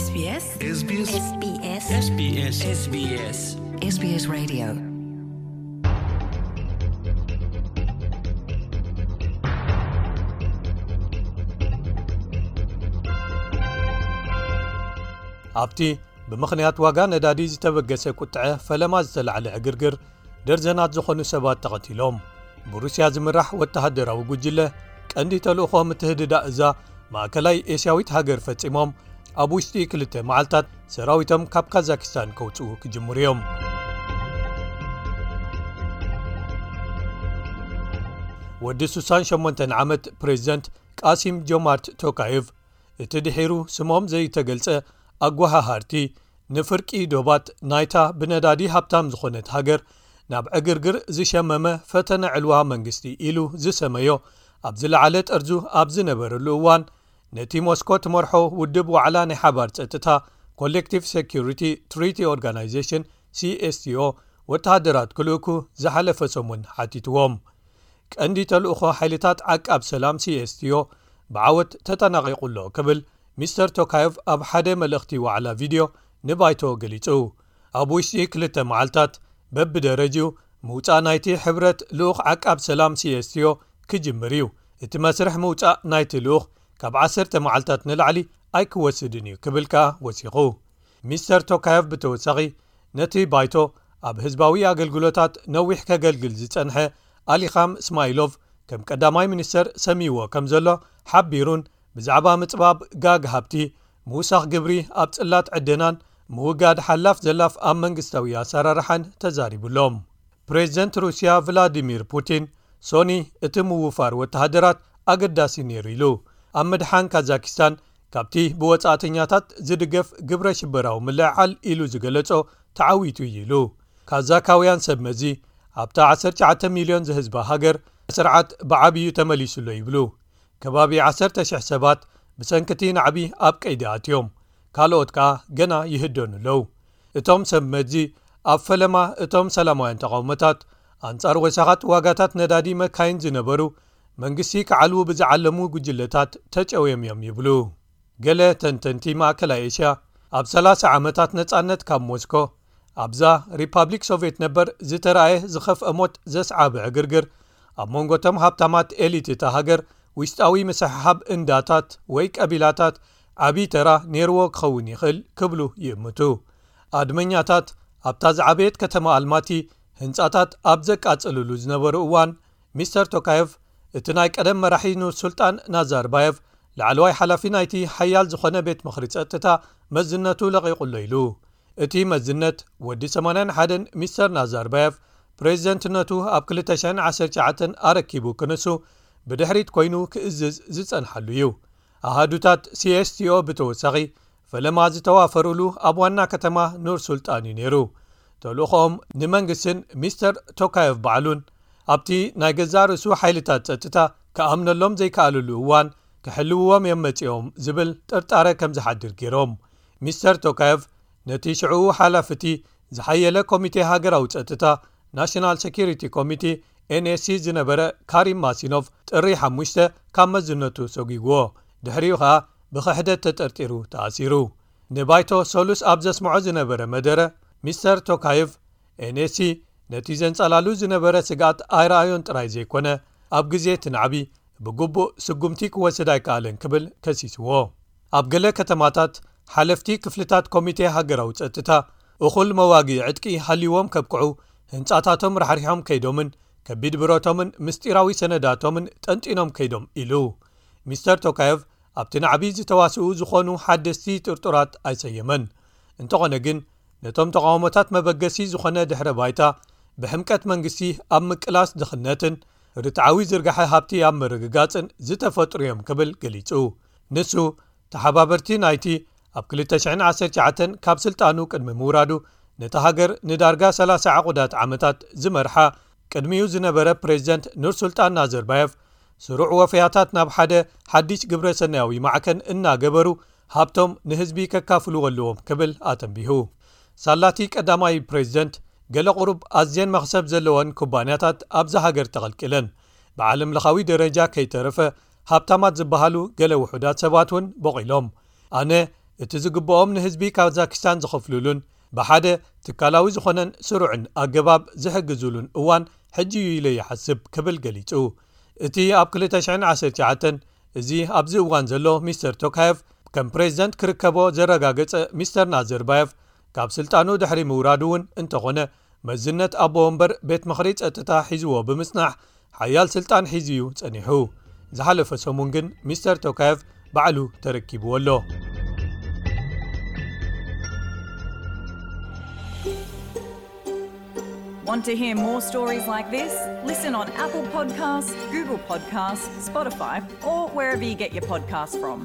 SBS SBS SBS SBS SBS SBS Radio. ኣብቲ ብምኽንያት ዋጋ ነዳዲ ዝተበገሰ ቁጥዐ ፈለማ ዝተላዕለ ዕግርግር፣ ደርዘናት ዝኾኑ ሰባት ተቐቲሎም። ብሩስያ ዝምራሕ ወተሃደራዊ ጉጅለ ቀንዲ ተልእኾ ምትህድዳእ እዛ ማእከላይ ኤስያዊት ሃገር ፈጺሞም፣ ኣብ ውሽጢ ክልተ መዓልታት ሰራዊቶም ካብ ካዛኪስታን ከውጽኡ ክጅምሩ እዮም። ወዲ ሱሳን ሸሞንተን ዓመት ፕሬዚደንት ቃሲም ጆማርት ቶካየቭ፣ እቲ ድሒሩ ስሞም ዘይተገልጸ ኣጓሃሃርቲ፣ ንፍርቂ ዶባት ናይታ ብነዳዲ ሃብታም ዝኾነት ሃገር ናብ ዕግርግር ዝሸመመ ፈተነ ዕልዋ መንግስቲ ኢሉ ዝሰመዮ ኣብ ዝለዓለ ጠርዙ ኣብ ዝነበረሉ እዋን፣ ነቲ ሞስኮ ትመርሖ ውድብ ዋዕላ ናይ ሓባር ጸጥታ፣ ኮሌክቲቭ ሴኩሪቲ ትሪቲ ኦርጋናይዜሽን፣ ሲኤስቲኦ፣ ወተሃደራት ክልእኩ ዝሓለፈ ሰሙን ሓቲትዎም። ቀንዲ ተልእኾ ሓይልታት ዓቃብ ሰላም፣ ሲኤስቲኦ፣ ብዓወት ተጠናቒቑ ኣሎ ክብል ሚስተር ቶካየቭ ኣብ ሓደ መልእኽቲ ዋዕላ ቪድዮ ንባይቶ ገሊጹ። ኣብ ውሽጢ ክልተ መዓልታት በብደረጅኡ ምውጻእ ናይቲ ሕብረት ልኡኽ ዓቃብ ሰላም፣ ሲኤስቲኦ፣ ክጅምር እዩ። እቲ መስርሕ ምውጻእ ናይቲ ልኡኽ ካብ ዓሰርተ መዓልታት ንላዕሊ ኣይክወስድን እዩ ክብል ከኣ ወሲኹ። ሚስተር ቶካየቭ ብተወሳኺ ነቲ ባይቶ ኣብ ህዝባዊ ኣገልግሎታት ነዊሕ ከገልግል ዝጸንሐ ኣሊኻም እስማኢሎቭ ከም ቀዳማይ ሚኒስተር ሰሚዎ ከም ዘሎ ሓቢሩን፣ ብዛዕባ ምጽባብ ጋግ ሃብቲ፣ ምውሳኽ ግብሪ ኣብ ጽላት ዕደናን ምውጋድ ሓላፍ ዘላፍ ኣብ መንግስታዊ ኣሰራርሓን ተዛሪቡሎም። ፕሬዚደንት ሩስያ ቭላዲሚር ፑቲን፣ ሶኒ እቲ ምውፋር ወተሃደራት ኣገዳሲ ነይሩ ኢሉ። ኣብ ምድሓን ካዛኪስታን ካብቲ ብወጻእተኛታት ዝድገፍ ግብረ ሽበራዊ ምልዕዓል ኢሉ ዝገለጾ ተዓዊቱ እዩ ኢሉ። ካዛካውያን ሰብ መዚ ኣብታ ዓሰርተ ትሽዓተ ሚልዮን ዝህዝባ ሃገር ስርዓት ብዓብዩ ተመሊሱሎ ይብሉ። ከባቢ ዓሰርተ ሽሕ ሰባት ብሰንክቲ ናዕቢ ኣብ ቀይዲ ኣትዮም፣ ካልኦት ከኣ ገና ይህደኑ ኣለዉ። እቶም ሰብ መዚ ኣብ ፈለማ እቶም ሰላማውያን ተቓውሞታት ኣንጻር ወሰኻት ዋጋታት ነዳዲ መካይን ዝነበሩ፣ መንግስቲ ክዓልዉ ብዝዓለሙ ጉጅለታት ተጨውዮም እዮም ይብሉ። ገለ ተንተንቲ ማእከላይ ኤስያ፣ ኣብ ሰላሳ ዓመታት ነጻነት ካብ ሞስኮ፣ ኣብዛ ሪፓብሊክ ሶቭየት ነበር ዝተራእየ ዝኸፍአ ሞት ዘስዓበ ዕግርግር፣ ኣብ መንጎ እቶም ሃብታማት ኤሊት እታ ሃገር ውሽጣዊ ምስሕሓብ እንዳታት ወይ ቀቢላታት ዓቢ ተራ ነይርዎ ክኸውን ይኽእል ክብሉ ይእምቱ። ኣድመኛታት ኣብታ ዝዓበየት ከተማ ኣልማቲ ህንጻታት ኣብ ዘቃጽልሉ ዝነበሩ እዋን፣ ሚስተር ቶካየቭ፣ እቲ ናይ ቀደም መራሒ ኑር ሱልጣን ናዛርባየቭ፣ ላዕለዋይ ሓላፊ ናይቲ ሓያል ዝኾነ ቤት ምኽሪ ጸጥታ፣ መዝነቱ ለቒቑ ኣሎ ኢሉ። እቲ መዝነት፣ ወዲ ሰማንያን ሓደን ሚስተር ናዛርባየቭ፣ ፕሬዚደንትነቱ ኣብ ክልተ ሽሕን ዓሰርተ ትሽዓተን ኣረኪቡ ክንሱ፣ ብድሕሪት ኮይኑ ክእዝዝ ዝጸንሓሉ እዩ። ኣሃዱታት ሲኤስቲኦ ብተወሳኺ፣ ፈለማ ዝተዋፈሩሉ ኣብ ዋና ከተማ ኑር ሱልጣን እዩ ነይሩ። ተልእኾኦም ንመንግስትን ሚስተር ቶካየቭ ባዕሉን፣ ኣብቲ ናይ ገዛእ ርእሱ ሓይልታት ጸጥታ ክኣምነሎም ዘይከኣልሉ እዋን ክሕልውዎም እዮም መጺኦም ዝብል ጥርጣረ ከም ዝሓድር ገይሮም። ሚስተር ቶካየቭ ነቲ ሽዕኡ ሓላፊ እቲ ዝሓየለ ኮሚቴ ሃገራዊ ጸጥታ፣ ናሽናል ሴኩሪቲ ኮሚቴ፣ ኤንኤስሲ፣ ዝነበረ ካሪም ማሲኖቭ ጥሪ ሓሙሽተ ካብ መዝነቱ ሰጒግዎ። ድሕሪኡ ኸኣ ብኽሕደት ተጠርጢሩ ተኣሲሩ። ንባይቶ ሰሉስ ኣብ ዘስምዖ ዝነበረ መደረ፣ ሚስተር ቶካየቭ፣ ኤንኤስሲ ነቲ ዘንጸላሉ ዝነበረ ስግኣት ኣይረኣዮን ጥራይ ዘይኮነ፣ ኣብ ግዜ እቲ ናዕቢ ብግቡእ ስጉምቲ ክወስድ ኣይከኣለን ክብል ከሲስዎ። ኣብ ገለ ከተማታት፣ ሓለፍቲ ክፍልታት ኮሚቴ ሃገራዊ ጸጥታ፣ እኹል መዋግኢ ዕጥቂ ሃልይዎም ከብቅዑ፣ ህንጻታቶም ራሕሪሖም ከይዶምን ከቢድ ብረቶምን ምስጢራዊ ሰነዳቶምን ጠንጢኖም ከይዶም ኢሉ። ሚስተር ቶካየቭ ኣብቲ ናዕቢ ዝተዋስኡ ዝኾኑ ሓደስቲ ጥርጡራት ኣይሰየመን። እንተኾነ ግን፣ ነቶም ተቓውሞታት መበገሲ ዝኾነ ድሕረ ባይታ ብሕምቀት መንግስቲ ኣብ ምቅላስ ድኽነትን ርትዓዊ ዝርጋሐ ሃብቲ ኣብ ምርግጋጽን ዝተፈጥሩ እዮም ክብል ገሊጹ። ንሱ፣ ተሓባበርቲ ናይቲ ኣብ ክልተ ሽሕን ዓሰርተ ትሽዓተን ካብ ስልጣኑ ቅድሚ ምውራዱ፣ ነታ ሃገር ንዳርጋ ሰላሳ ዕቑዳት ዓመታት ዝመርሓ ቅድሚኡ ዝነበረ ፕሬዚደንት ኑር ሱልጣን ናዘርባየቭ፣ ስሩዕ ወፈያታት ናብ ሓደ ሓድሽ ግብረ ሰናያዊ ማዕከን እናገበሩ ሃብቶም ንህዝቢ ከካፍልዎ ኣለዎም ክብል ኣተንቢሁ። ሳላቲ ቀዳማይ ፕሬዚደንት፣ ገለ ቁሩብ ኣዝየን መኽሰብ ዘለወን ኩባንያታት ኣብዛ ሃገር ተቐልቂለን። ብዓለም ለኻዊ ደረጃ ከይተረፈ ሃብታማት ዝበሃሉ ገለ ውሑዳት ሰባት እውን ቦቒሎም። ኣነ እቲ ዝግብኦም ንህዝቢ ካዛኪስታን ዝኸፍሉሉን ብሓደ ትካላዊ ዝኾነን ስሩዕን ኣገባብ ዝሕግዙሉን እዋን ሕጂ እዩ ኢለ ይሓስብ ክብል ገሊጹ። እቲ ኣብ ክልተ ሽሕን ዓሰርተ ትሽዓተን እዚ ኣብዚ እዋን ዘሎ ሚስተር ቶካየቭ ከም ፕሬዝደንት ክርከቦ ዘረጋገጸ ሚስተር ናዘርባየቭ ካብ ስልጣኑ ድሕሪ ምውራዱ እውን እንተኾነ መዝነት ኣቦ ወንበር ቤት ምኽሪ ጸጥታ ሒዝዎ ብምጽናሕ ሓያል ስልጣን ሒዙ እዩ ጸኒሑ። ዝሓለፈ ሰሙን ግን ሚስተር ቶካየቭ ባዕሉ ተረኪብዎ ኣሎ። Want to hear more stories like this? Listen on Apple Podcasts, Google Podcasts, Spotify, or wherever you get your podcasts from.